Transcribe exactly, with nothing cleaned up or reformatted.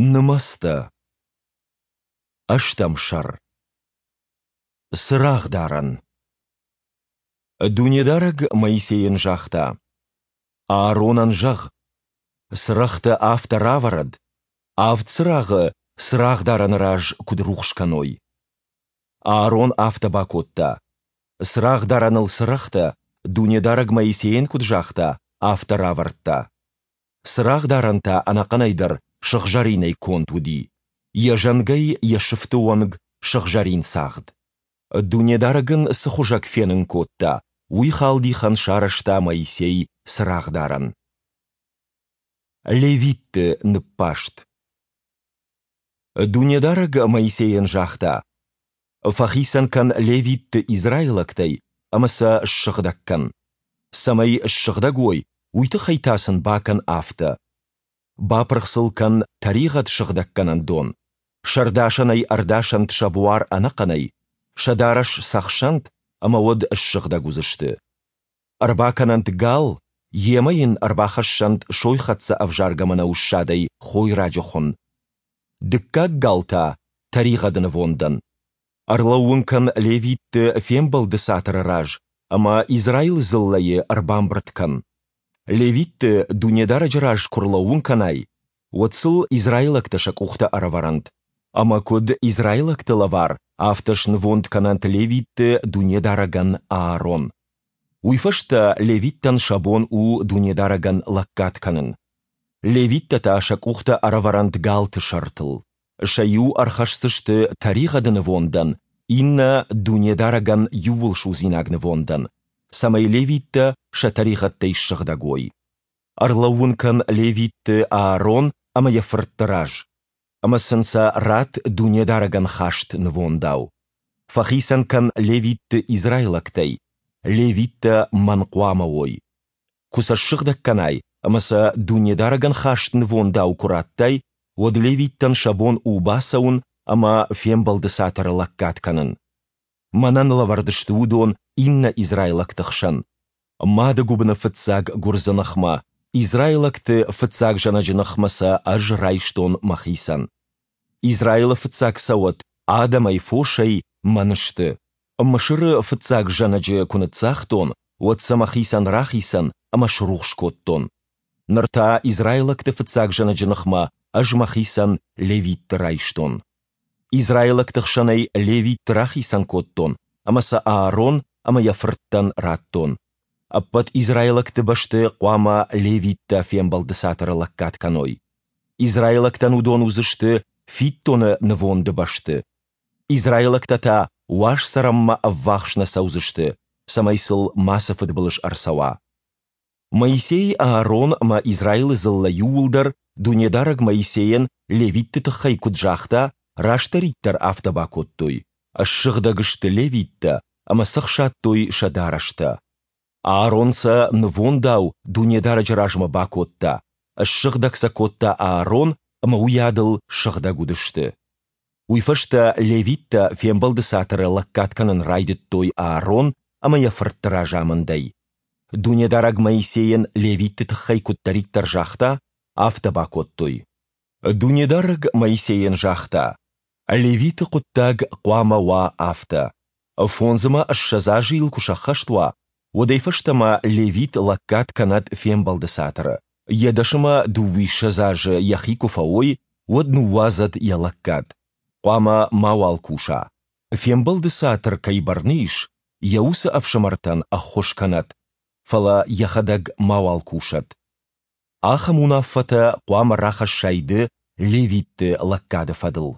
Нымӕцтӕ. Ӕстӕм сӕр. Цырагъдарӕн. Дунедарӕг Моисейӕн загъта: Ааронӕн зӕгъ: Цырӕгътӕ афтӕ равӕрӕд, авд цырагъы цырагъдарӕны раз куыд рухс кӕной. Аарон афтӕ бакодта. Цырагъдарӕныл цырӕгътӕ, Дунедарӕг Моисейӕн куыд загъта, афтӕ равӕрдта. Цырагъдарӕн та ӕнӕхъӕнӕй дӕр сыгъзӕринӕй конд уыди, йӕ зӕнгӕй йӕ сыфты онг сыгъзӕрин цагъд. Дунедарӕг ын цы хуызӕг фенын кодта, уый халдихӕн сарӕзта Моисей цырагъдарӕн. Левитты ныббаст. Дунедарӕг Моисейӕн загъта: Фӕхицӕн кӕн левитты израилӕгтӕй ӕмӕ сӕ ссыгъдӕг кӕн. Цӕмӕй ссыгъдӕг уой, уый тыххӕй та сын бакӕн афтӕ: бапырх сыл кӕн тӕригъӕд сыгъдӕггӕнӕн дон, сӕрдасӕнӕй ӕрдасӕнт сӕ буар ӕнӕхъӕнӕй, сӕ дарӕс цӕхсӕнт, ӕмӕ уӕд ссыгъдӕг уыдзысты. Ӕрбакӕнӕнт гал, йемӕ йын ӕрбахӕссӕнт сойхӕццӕ ӕвзаргӕ мӕнӕуы ссадӕй хойраджы хуын. Дыккаг гал та тӕригъӕды нывондӕн. Ӕрлӕууын кӕн левитты Фембӕлды Цатыры раз ӕмӕ Израилы дзыллӕйы ӕрбамбырд кӕн. Левитты Дунедарӕджы раз куы рлӕууын кӕнай, уӕд сыл израилӕгтӕ сӕ къухтӕ ӕрӕвӕрӕнт, ӕмӕ куыд израилӕгты лӕвар, афтӕ снывонд кӕнӕнт левитты Дунедарӕгӕн Аарон. Уый фӕстӕ левиттӕн сӕ бон у Дунедарӕгӕн лӕггад кӕнын. Левиттӕ та сӕ къухтӕ ӕрӕвӕрӕнт галты сӕртыл. Сӕ иу ӕрхӕсдзысты тӕригъӕды нывондӕн, иннӕ Дунедарӕгӕн иууылсудзинаг нывондӕн, цӕмӕй левиттӕ сӕ тӕригъӕдтӕй ссыгъдӕг уой. Ӕрлӕууын кӕн левитты Аарон ӕмӕ йӕ фыртты раз, ӕмӕ сын сӕ ратт Дунедарӕгӕн хаст нывондау. Фӕхицӕн кӕн левитты израилӕгтӕй, левиттӕ мӕн хъуамӕ уой. Куы сӕ ссыгъдӕг кӕнай ӕмӕ сӕ Дунедарӕгӕн хаст нывондау куы раттай, уӕд левиттӕн сӕ бон у бацӕуын ӕмӕ Фембӕлды Цатыры лӕггад кӕнын. Мӕнӕн лӕвӕрд сты уыдон иннӕ израилӕгты хсӕн. Мады гуыбыны фыццаг гуырдзы ныхмӕ, израилӕгты фыццаг зӕнӕджы ныхмӕ сӕ ӕз райстон мӕхицӕн. Израилы фыццаг цӕуӕт адӕмӕй, фосӕй мӕн сты. Мысыры фыццаг зӕнӕджы куы ныццагътон, уӕд сӕ мӕхицӕн рахицӕн ӕмӕ срухс кодтон. Ныр та израилӕгты фыццаг зӕнӕджы ныхмӕ ӕз мӕхицӕн левитты райстон. Израилӕгты хсӕнӕй левитты рахицӕн кодтон ӕмӕ сӕ Аарон ӕмӕ йӕ фырттӕн радтон. Ӕппӕт израилӕгты бӕсты хъуамӕ левиттӕ Фембӕлды Цатыры лӕггад кӕной. Израилӕгтӕн уыдон уыдзысты фиддоны нывонды бӕсты. Израилӕгтӕ та уаз цӕрӕнмӕ ӕввахс нӕ цӕудзысты, цӕмӕй сыл мацы фыдбылыз ӕрцӕуа. Моисей, Аарон ӕмӕ Израилы дзыллӕ иууылдӕр, Дунедарӕг Моисейӕн левитты тыххӕй куыд загъта, растдӕриддӕр афтӕ бакодтой. Ссыгъдӕг сты левиттӕ ӕмӕ цӕхсадтой сӕ дарӕстӕ. Аарон сӕ нывондау Дунедарӕджы размӕ бакодта, ссыгъдӕг сӕ кодта Аарон ӕмӕ уыйадыл сыгъдӕг уыдысты. Уый фӕстӕ левиттӕ Фембӕлды Цатыры лӕггад кӕнын райдыдтой Аарон ӕмӕ йӕ фыртты разамындӕй. Дунедарӕг Моисейӕн левитты тыххӕй куыддӕриддӕр загъта, афтӕ бакодтой. Дунедарӕг Моисейӕн загъта: Левиты хъуыддаг хъуамӕ уа афтӕ: фондз ӕмӕ ссӕдз азы йыл куы сӕххӕст уа, уӕдӕй фӕстӕмӕ левит лӕггад кӕнӕд Фембӕлды Цатыры. Йӕ дӕс ӕмӕ дыууиссӕдз азы йӕхи куы фӕуой, уӕд ныууадзӕд йӕ лӕггад. Хъуамӕ мауал куса. Фембӕлды Цатыр кӕй бӕрны ис, йӕ уыцы ӕфсымӕртӕн ӕххуыс кӕнӕд, фӕлӕ йӕхӕдӕг мауал кусӕд. Ахӕм уынаффӕтӕ хъуамӕ рахӕссай ды левитты лӕггады фӕдыл.